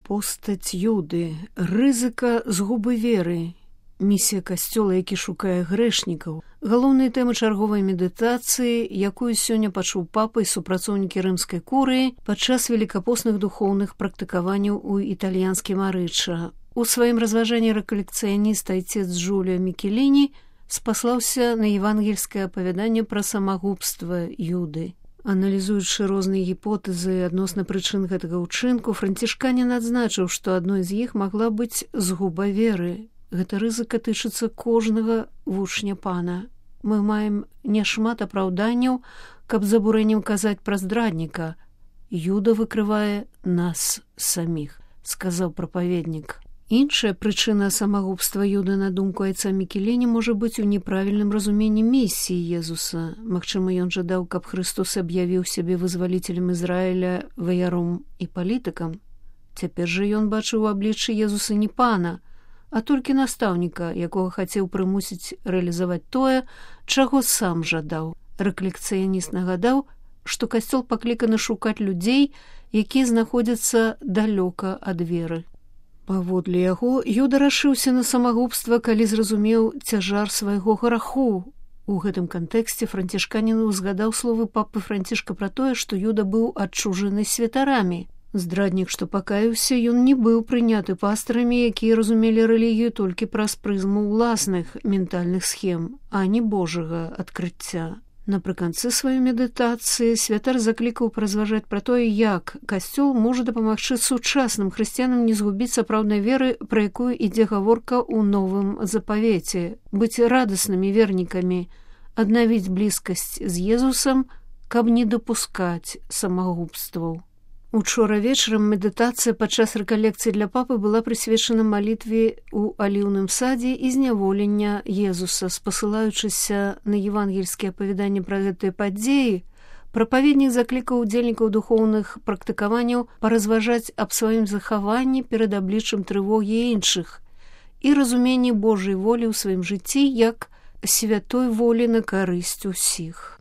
Постаць Юды, рызыка згубы веры, місія касцёла, які шукае грэшнікаў, галоўныя тэмы чарговай медытацыі, якую сёння пачуў папа і супрацоўнікі рымскай курыі падчас велікапостных духоўных практыкаванняў у італьянскім Арычча. У сваім разважанні рэкалекцыяніст айцец Джуліо Мікеліні спаслаўся на евангельскае апавяданне пра самагубства Юды. Аналізуючы розныя гіпотэзы адносна прычын гэтага ўчынку, францішканін адзначыў, што адной з іх магла быць згуба веры. Гэта рызыка тычыцца кожнага вучня пана. Мы маем няшмат апраўданняў, каб з абурэннем казаць пра здрадніка. Юда выкрывае нас саміх, сказаў прапаведнік. Іншая прычына самагубства Юды, на думку айца Мікеліні, можа быць у неправільным разуменні місіі Езуса. Магчыма, ён жадаў, каб Христос аб'явіў сябе вызваліцелем Ізраіля, ваяром і палітыкам. Цяпер жа ён бачыў у абліччы Езуса не пана, а толькі настаўніка, якога хацеў прымусіць рэалізаваць тое, чаго сам жадаў. Рэкалекцыяніст нагадаў, што касцёл пакліканы шукаць людзей, якія знаходзяцца далёка ад веры. Паводле яго, Юда рашыўся на самагубства, калі зразумеў цяжар свайго граху. У гэтым кантэксце францішканін узгадаў словы папы Францішка пра тое, што Юда быў адчужаны святарамі. Здраднік, што пакаяўся, ён не быў прыняты пастарамі, якія разумелі рэлігію толькі праз прызму ўласных ментальных схем, а не Божага адкрыцця. Напрыканцы сваёй медытацыі святар заклікаў паразважаць пра тое, як касцёл можа дапамагчы сучасным хрысціянам не згубіць сапраўднай веры, пра якую ідзе гаворка ў новым запавеце, быць радаснымі вернікамі, аднавіць блізкасць з Езусам, каб не дапускаць самагубстваў. Учора вечарам медытацыя падчас рэкалекцыі для папы была прысвечана малітве ў аліўным садзе і зняволення Езуса. Спасылаючыся на евангельскія апавяданні пра гэтыя падзеі, прапаведнік заклікаў удзельнікаў духоўных практыкаванняў паразважаць аб сваім захаванні перад абліччам трывогі іншых і разуменні Божай волі ў сваім жыцці як святой волі на карысць усіх.